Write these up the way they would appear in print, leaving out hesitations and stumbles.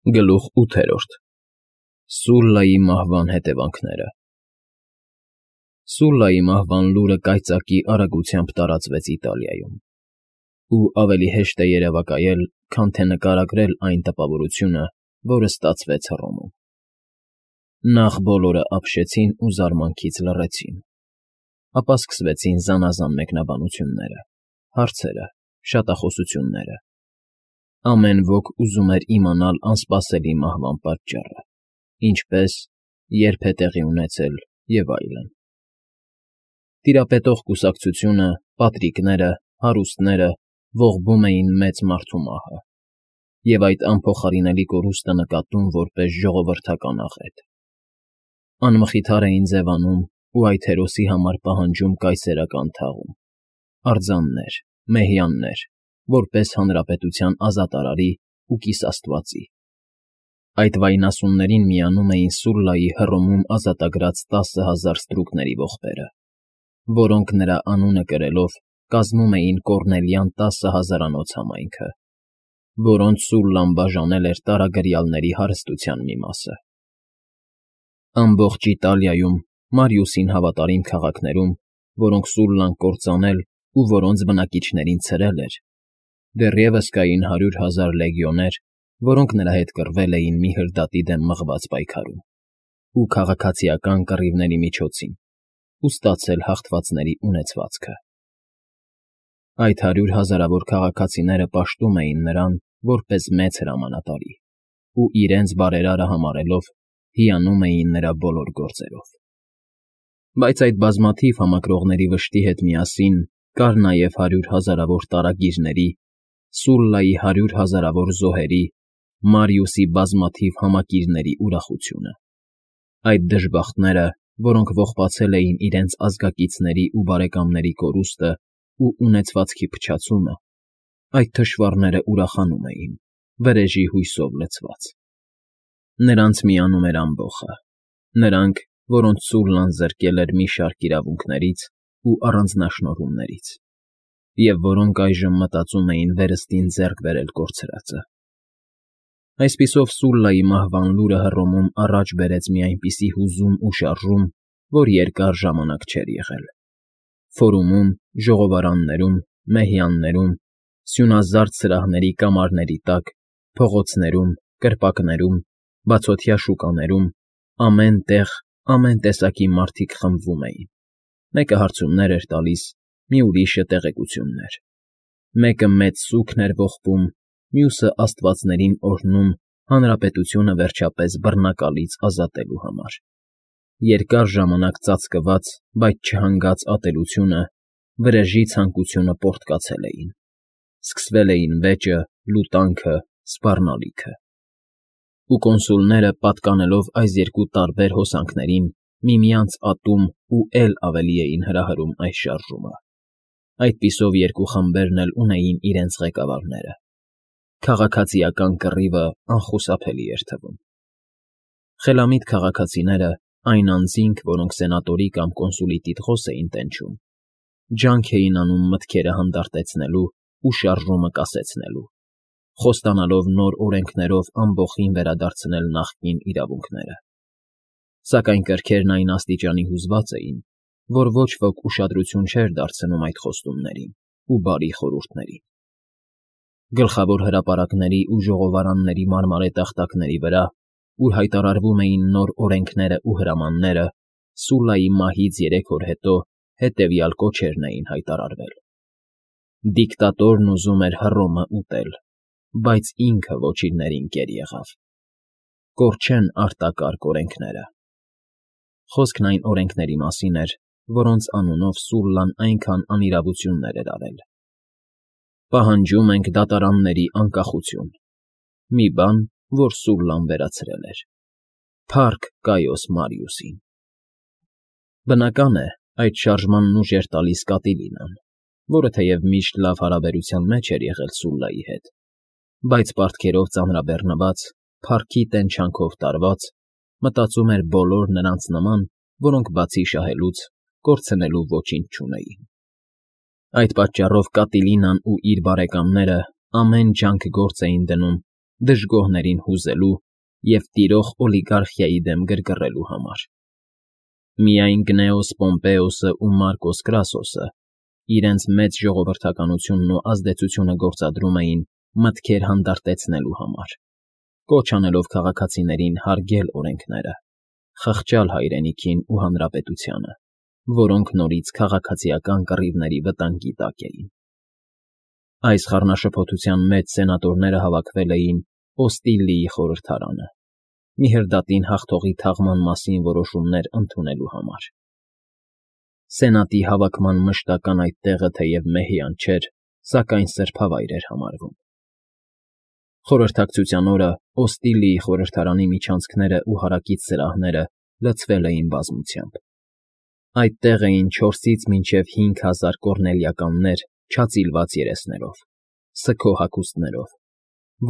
Գլուխ 8 Սուլլայի մահվան հետևանքները Սուլլայի մահվան լուրը կայծակի արագությամբ տարածվեց Իտալիայում, ու ավելի հեշտ է երևակայել, քան թե նկարագրել այն տպավորությունը, որը ստացվեց Հռոմում։ Նախ բոլորը ապշեցին ու զարմանքից լռեցին, ապա սկսվեցին զանազան մեկնաբանությունները, հարցերը, շատախոսությունները։ Ամեն ոք ուզում էր իմանալ անսպասելի մահվան պատճառը, ինչպես, երբ է տեղի ունեցել և այլն։ Տիրապետող կուսակցությունը, պատրիկները, հարուստները ողբում էին մեծ մարդու մահը և այդ անփոխարինելի կորուստը նկատում որպես ժողովրդական աղետ։ Անմխիթար էին ձևանում ու այդ հերոսի համար պահանջում կայսերական թաղում, արձաններ, մեհյաններ, որպես հանրապետության ազատարարի ու կիսաստվածի։ Այդ վայնասուններին միանում էին Սուլլայի Հռոմում ազատագրած 10,000 ստրուկների ողբերը, որոնք նրա անունը կրելով կազմում էին Կոռնելյան 10,000-անոց համայնքը, որոնց Սուլլան բաժանել էր տարագրյալների հարստության մի մասը։ Ամբողջ Իտալիայում, Մարիուսին հավատարիմ քաղաքներում, որոնք Սուլլան կործանել ու որոնց բնակիչներին ցրել էր, դեռևս կային 100,000 լեգիոներ, որոնք նրա հետ կռվել էին մի հրդատի դեմ մղված պայքարում ու քաղաքացիական կռիվների միջոցին ու ստացել հաղթվածների ունեցվածքը։ Այդ 100,000-ավոր քաղաքացիները պաշտում էին նրան որպես մեծ հրամանատարի ու իրենց բարերարը համարելով հիանում էին նրա բոլոր գործերով։ Բայց այդ բազմաթիվ համակրողների վշտի հետ միասին կար նաև 100,000-ավոր տարագիրների, Սուլլայի 100,000-ավոր զոհերի, Մարիուսի բազմաթիվ համակիրների ուրախությունը։ Այդ դժբախտները, որոնք ողբացել էին իրենց ազգակիցների ու բարեկամների կորուստը ու ունեցվածքի փչացումը, այդ թշվառները ուրախանում էին, վրեժի հույսով լցված։ Նրանց միանում էր ամբոխը, նրանք, որոնց Սուլլան զրկել էր մի շարք իրավունքներից ու առանձնաշնորհումներից, և որոնք այժմ մտածում էին վերստին ձեռք բերել կորցրածը։ Այսպիսով Սուլլայի մահվան լուրը Հռոմում առաջ բերեց մի այնպիսի հուզում ու շարժում, որ երկար ժամանակ չէր եղել։ Ֆորումում, ժողովարաններում, մեհյաններում, սյունազարդ սրահների կամարների տակ, փողոցներում, կրպակներում, բացօթյա շուկաներում, ամեն տեղ ամեն տեսակի մարդիկ խմբվում էին։ Մեկը հարցումներ էր տալիս, մի ուրիշը տեղեկություններ։ Մեկը մեծ սուգն էր ողբում, մյուսը աստվածներին օրհնում հանրապետությունը վերջապես բռնակալից ազատելու համար։ Երկար ժամանակ ծածկված, բայց չհանգած ատելությունը, վրեժի ցանկությունը պոռթկացել էին։ Սկսվել էին վեճը, լուտանքը, սպառնալիքը։ Ու կոնսուլները, պատկանելով այս երկու տարբեր հոսանքներին, միմյանց ատում ու էլ ավելի էին հրահրում այս շարժումը։ Այդպիսով երկու խմբերն էլ ունեին իրենց ղեկավարները։ Քաղաքացիական կռիվը անխուսափելի էր թվում։ Խելամիտ քաղաքացիները, այն անձինք, որոնք սենատորի կամ կոնսուլի տիտղոս էին տենչում, ջանք էին անում մտքերը հանդարտեցնելու ու շարժումը կասեցնելու, խոստանալով նոր օրենքներով ամբոխին վերադարձնել նախկին իրավունքները։ Սակայն կրքերն այն աստիճանի հուզված էին, որ ոչ ոք ուշադրություն չէր դարձնում այդ խոստումներին ու բարի խորհուրդներին։ Գլխավոր հրապարակների ու ժողովարանների մարմարե տախտակների վրա, ուր հայտարարվում էին նոր օրենքները ու հրամանները, Սուլլայի մահից 3 օր հետո հետևյալ կոչերն էին հայտարարվել. Դիկտատորն ուզում էր Հռոմը ուտել, բայց ինքը ոչիրներին կեր եղավ։ Կորչեն արտակարգ օրենքները։ Խոսքն այն օրենքների մասին էր, որոնց անունով Սուլլան այնքան անիրավություններ էր արել։ Պահանջում ենք դատարանների անկախություն։ Մի բան, որ Սուլլան վերացրել էր։ Փառք Կայոս Մարիուսին։ Բնական է, այդ շարժմանն ուժ էր տալիս Կատիլինան, որը թեև միշտ լավ հարաբերության մեջ էր եղել Սուլլայի հետ, բայց պարտքերով ծանրաբեռնված, փառքի տենչանքով տարված, մտածում էր բոլոր նրանց նման, որոնք բացի շահելուց, կորցնելու ոչինչ չունեին։ Այդ պատճառով Կատիլինան ու իր բարեկամները ամեն ջանք գործ էին դնում, դժգոհներին հուզելու և տիրող օլիգարխիայի դեմ գրգռելու համար։ Միայն Գնեոս Պոմպեոսն ու Մարկոս Կրասոսը իրենց մեծ ժողովրդականությունն ու ազդեցությունը գործադրում էին մտքեր հանդարտեցնելու համար, կոչ անելով քաղաքացիներին հարգել օրենքները, խղճալ հայրենիքին ու հանրապետությանը, որոնք նորից քաղաքացիական կռիվների վտանգի տակ էին։ Այս խառնաշփոթության մեջ սենատորները հավաքվել էին Օստիլիի խորհրդարանը, Միհրդատին հաղթողի թաղման մասին որոշումներ ընդունելու համար։ Սենատի հավաքման մշտական այդ տեղը թեև մեհյան չէր, սակայն սրբավայր էր համարվում։ Խորհրդակցության օրը Օստիլիի խորհրդարանի միջանցքներն ու հարակից սրահները լցվել էին բազմությամբ։ Այդտեղ էին 4-ից մինչև 5000 կոռնելիականներ չածիլված երեսներով, սգո հագուստներով,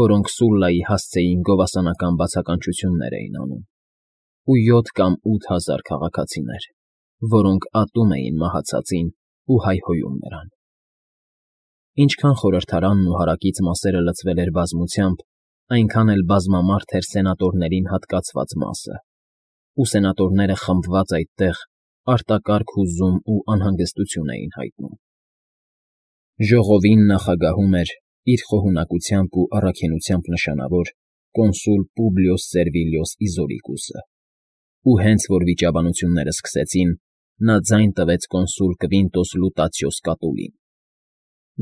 որոնք Սուլլայի հասցեին գովասանական բացականչություններ էին անում, ու 7 կամ 8000 քաղաքացիներ, որոնք ատում էին մահացածին ու հայհոյում նրան։ Ինչքան խորհրդարանն ու հարակից մասերը լցվել էր բազմությամբ, այնքան էլ բազմամարդ էր սենատորներին հատկացված մասը, ու սենատորները խմբված այդտեղ արտակարգ հուզում ու անհանգստություն էին հայտնում։ Ժողովին նախագահում էր իր խոհունակությամբ ու առաքինությամբ նշանավոր կոնսուլ Պուբլիոս Սերվիլիոս Իզորիկուսը, ու հենց որ վիճաբանությունները սկսեցին, նա ձայն տվեց կոնսուլ Կվինտոս Լուտացիոս Կատուլին։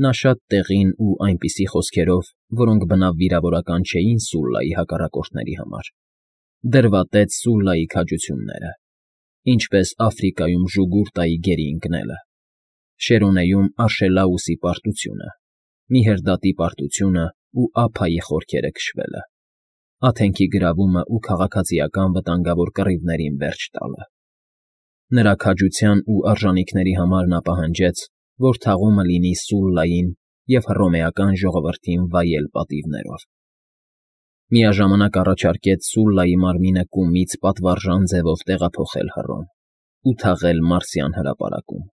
Նա շատ տեղին ու այնպիսի խոսքերով, որոնք բնավ վիրավորական չէին Սուլլայի հակառակորդների համար, դրվատեց Սուլլայի քաջությունները, ինչպես Աֆրիկայում Ժուգուրտայի գերի ընկնելը, Շերոնեում Աշելաուսի պարտությունը, Միհրդատի պարտությունը ու Ափայի խորքերը քշվելը, Աթենքի գրավումը ու քաղաքացիական վտանգավոր կռիվներին վերջ տալը։ Նրա քաջության ու արժանիքների համար նա պահանջեց, որ թաղումը լինի Սուլլային և հռոմեական ժողովրդին վայել պատիվներով։ Միաժամանակ առաջարկեց Սուլլայի մարմինը կումից պատվարժան ձևով տեղափոխել Հռոմ ու թաղել Մարսյան հրապարակում։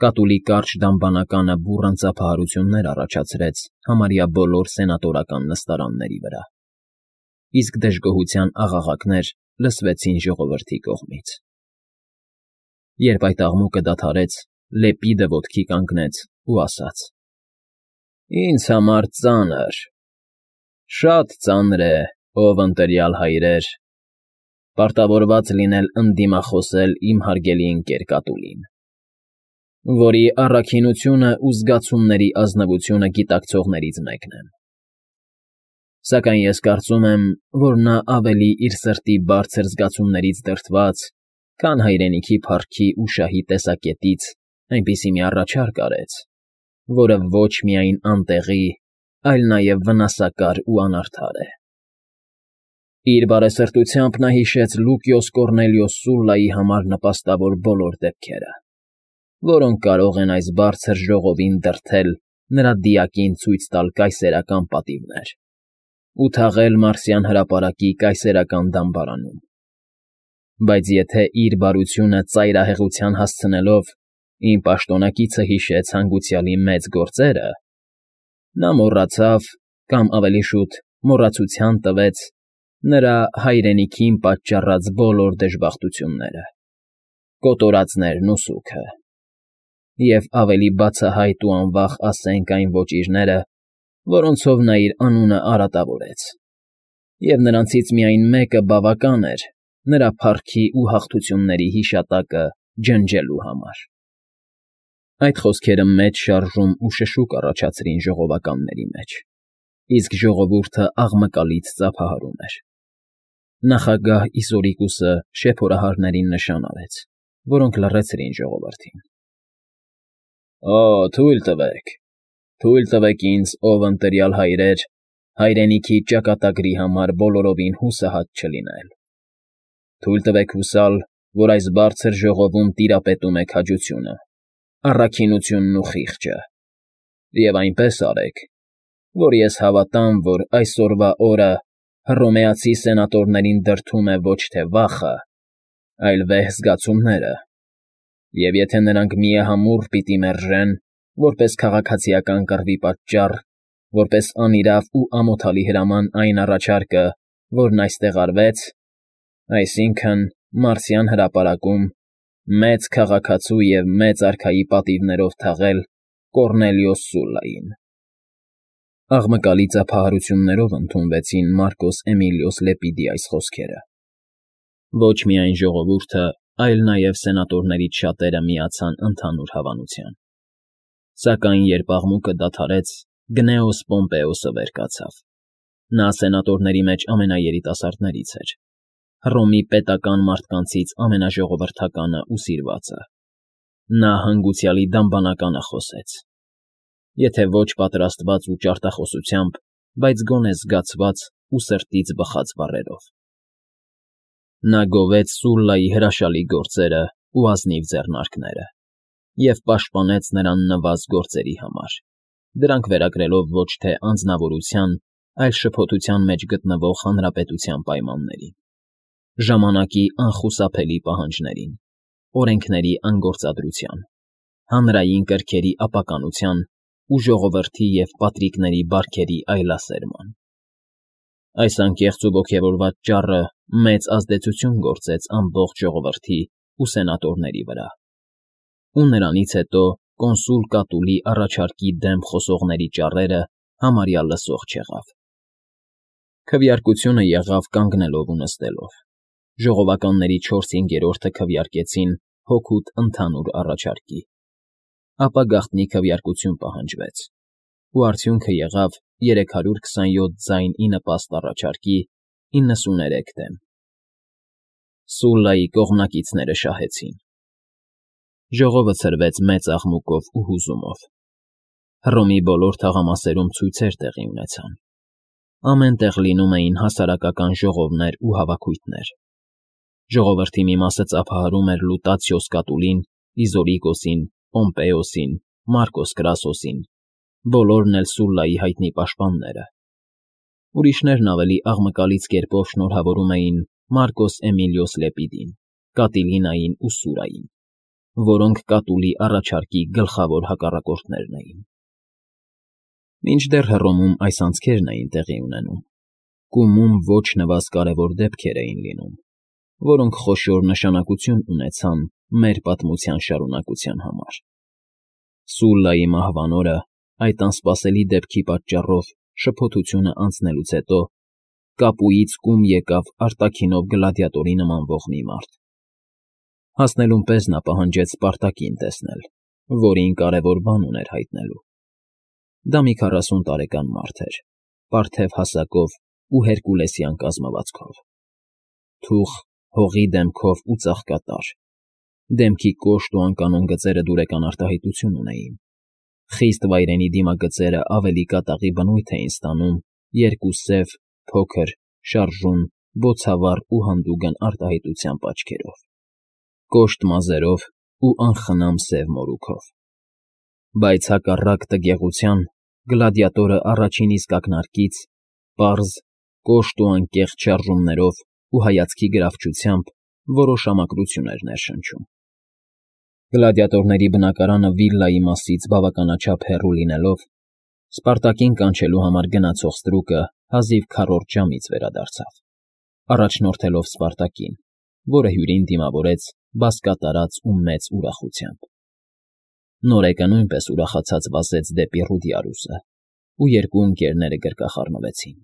Կատուլի կարճ դամբանականը բուռն ծափահարություններ առաջացրեց համարյա բոլոր սենատորական նստարանների վրա, իսկ դժգոհության աղաղակներ լսվեցին ժողովրդի կողմից։ Երբ այդ աղմուկը դադարեց, Լեպիդը ոտքի կանգնեց ու ասաց. «Ինձ համար ծանր, շատ ծանր է, ով ընտյալ հայրեր, պարտավորված լինել ընդդիմախոսել իմ հարգելի ընկեր Կատուլին, որի առաքինությունը ու զգացումների ազնվությունը գիտակցողներից մեկն եմ։ Սակայն ես կարծում եմ, որ նա ավելի իր սրտի բարձր զգացումներից դրդված, քան հայրենիքի փառքի ու շահի տեսակետից այնպիսի մի առաջարկ արեց, որը ոչ միայն անտեղի, այլ նաև վնասակար ու անարդար է։ Իր բարեսրտությամբ նա հիշեց Լուկիոս Կոռնելիոս Սուլլայի համար նպաստավոր բոլոր դեպքերը, որոնք կարող են այս բարձր ժողովին դրդել նրա դիակին ցույց տալ կայսերական պատիվներ ու թաղել Մարսյան հրապարակի կայսերական դամբարանում։ Բայց եթե իր բարությունը ծայրահեղության հասցնելով իմ պաշտոնակիցը հիշեց հանգուցյալի մեծ գործերը, նա մոռացավ, կամ ավելի շուտ մոռացության տվեց նրա հայրենիքին պատճառած բոլոր դժբախտությունները, կոտորածներն ու սուգը, և ավելի բացահայտ ու անվախ ասենք այն ոճիրները, որոնցով նա իր անունը արատավորեց, և նրանցից միայն մեկը բավական էր նրա փառքի ու հաղթությունների հիշատակը ջնջելու համար։ Այդ խոսքերը մեծ շարժում ու շշուկ առաջացրին ժողովականների մեջ, իսկ ժողովուրդը աղմկալից ծափահարում էր։ Նախագահ Իսորիկուսը շեփորահարներին նշան արեց, որոնք լռեցրին ժողովրդին։ Թույլ տվեք ինձ, ով ընտյալ հայրեր, հայրենիքի ճակատագրի համար բոլորովին հուսահատ չլինել։ Թույլ տվեք հուսալ, որ այս բարձր ժողովում տիրապետում է քաջությունը, առաքինությունն ու խիղճը, և այնպես արեք, որ ես հավատամ, որ այսօրվա օրը հռոմեացի սենատորներին դրդում է ոչ թե վախը, այլ վեհ զգացումները, և եթե նրանք միահամուռ պիտի մերժեն, որպես քաղաքացիական կռվի պատճառ, որպես անիրավ ու ամոթալի հրաման այն առաջարկը, որն այստեղ արվեց, այսինքն՝ Մարսյան հրապարակում մեծ քաղաքացու և մեծ արքայի պատիվներով թաղել Կոռնելիոս Սուլլային։ Աղմկալի ծափահարություններով ընդունվեցին Մարկոս Էմիլիոս Լեպիդի այս խոսքերը։ Ոչ միայն ժողովուրդը, այլ նաև սենատորներից շատերը միացան ընդհանուր հավանության։ Սակայն երբ աղմուկը դադարեց, Գնեոս Պոմպեոսը վեր կացավ։ Նա սենատորների մեջ ամենաերիտասարդներից էր, Հռոմի պետական մարդկանցից ամենաժողովրդականը ու սիրվածը։ Նա հանգուցյալի դամբանականը խոսեց, եթե ոչ պատրաստված ու ճարտախոսությամբ, բայց գոնե զգացված ու սրտից բխած բառերով։ Նա գովեց Սուլլայի հրաշալի գործերը ու ազնիվ ձեռնարկները և պաշտպանեց նրան նվազ գործերի համար, դրանք վերագրելով ոչ թե անձնավորության, այլ շփոթության մեջ գտնվող հանրապետության պայմաններին, ժամանակի անխուսափելի պահանջներին, օրենքների անգործադրության, հանրային կրքերի ապականության ու ժողովրդի և պատրիկների բարքերի այլասերման։ Այս անկեղծ ու ոգևորված ճառը մեծ ազդեցություն գործեց ամբողջ ժողովրդի ու սենատորների վրա, ու նրանից հետո կոնսուլ Կատուլի առաջարկի դեմ խոսողների ճառերը համարյա լսող չեղավ։ Քվեարկությունը եղավ կանգնելով ու նստելով։ Ժողովականների 4/5-րդը քվեարկեցին հօգուտ ընդհանուր առաջարկի։ Ապա գաղտնի քվեարկություն պահանջվեց, ու արդյունքը եղավ 327 ձայն ի նպաստ առաջարկի 93 դեմ։ Սուլլայի կողմնակիցները շահեցին։ Ժողովը ցրվեց մեծ աղմուկով ու հուզումով։ Հռոմի բոլոր թաղամասերում ցույցեր տեղի ունեցան։ Ամեն տեղ լինում էին հասարակական ժողովներ ու հավաքույթներ։ Ժողովրդի մի մասը ծափահարում էր Լուտացիոս Կատուլին, Իզորիկոսին, Պոմպեոսին, Մարկոս Կրասոսին, բոլորն էլ Սուլլայի հայտնի պաշտպանները։ Ուրիշներն ավելի աղմկալից կերպով շնորհավորում էին Մարկոս Էմիլիոս Լեպիդին, Կատիլինային ու Սուրային, որոնք Կատուլի առաջարկի գլխավոր հակառակորդներն էին։ Մինչդեռ Հռոմում այս անցքերն էին տեղի ունենում, կումում ոչ նվազ կարևոր դեպքեր էին լինում, որոնք խոշոր նշանակություն ունեցան մեր պատմության շարունակության համար։ Սուլլայի մահվան օրը այդ անսպասելի դեպքի պատճառով շփոթությունը անցնելուց հետո Կապուից կում եկավ արտաքինով գլադիատորի նմանվող մի մարդ։ Հասնելուն պես նա պահանջեց Սպարտակին տեսնել, որին կարևոր բան ուներ հայտնելու։ Դա մի 40 տարեկան մարդ էր, պարթև հասակով ու հերկուլեսյան կազմվածքով։ Թուխ, հողի դեմքով ու ծաղկատար, դեմքի կոշտ ու անկանոն գծերը դուրեկան արտահայտություն ունեին։ Խիստ վայրենի դիմագծերը ավելի կատաղի բնույթ էին ստանում երկու սև, փոքր, շարժուն, բոցավառ ու հանդուգն արտահայտությամբ աչքերով, կոշտ մազերով ու անխնամ սև մորուքով։ Բայց հակառակ տգեղության, գլադիատորը առաջին իսկ ակնարկից պարզ, կոշտ ու անկեղծ շարժումներով ու հայացքի գրավչությամբ որոշ ամակրություն էր ներշնչում։ Գլադիատորների բնակարանը վիլլայի մասից բավականաչափ հեռու լինելով, Սպարտակին կանչելու համար գնացող ստրուկը հազիվ քառորդ ժամից վերադարձավ, առաջնորդելով Սպարտակին, որը հյուրին դիմավորեց բազկատարած ու մեծ ուրախությամբ։ Նորեկը նույնպես ուրախացած վազեց դեպի Ռուդիարուսը, ու երկու ընկերները գրկախառնվեցին։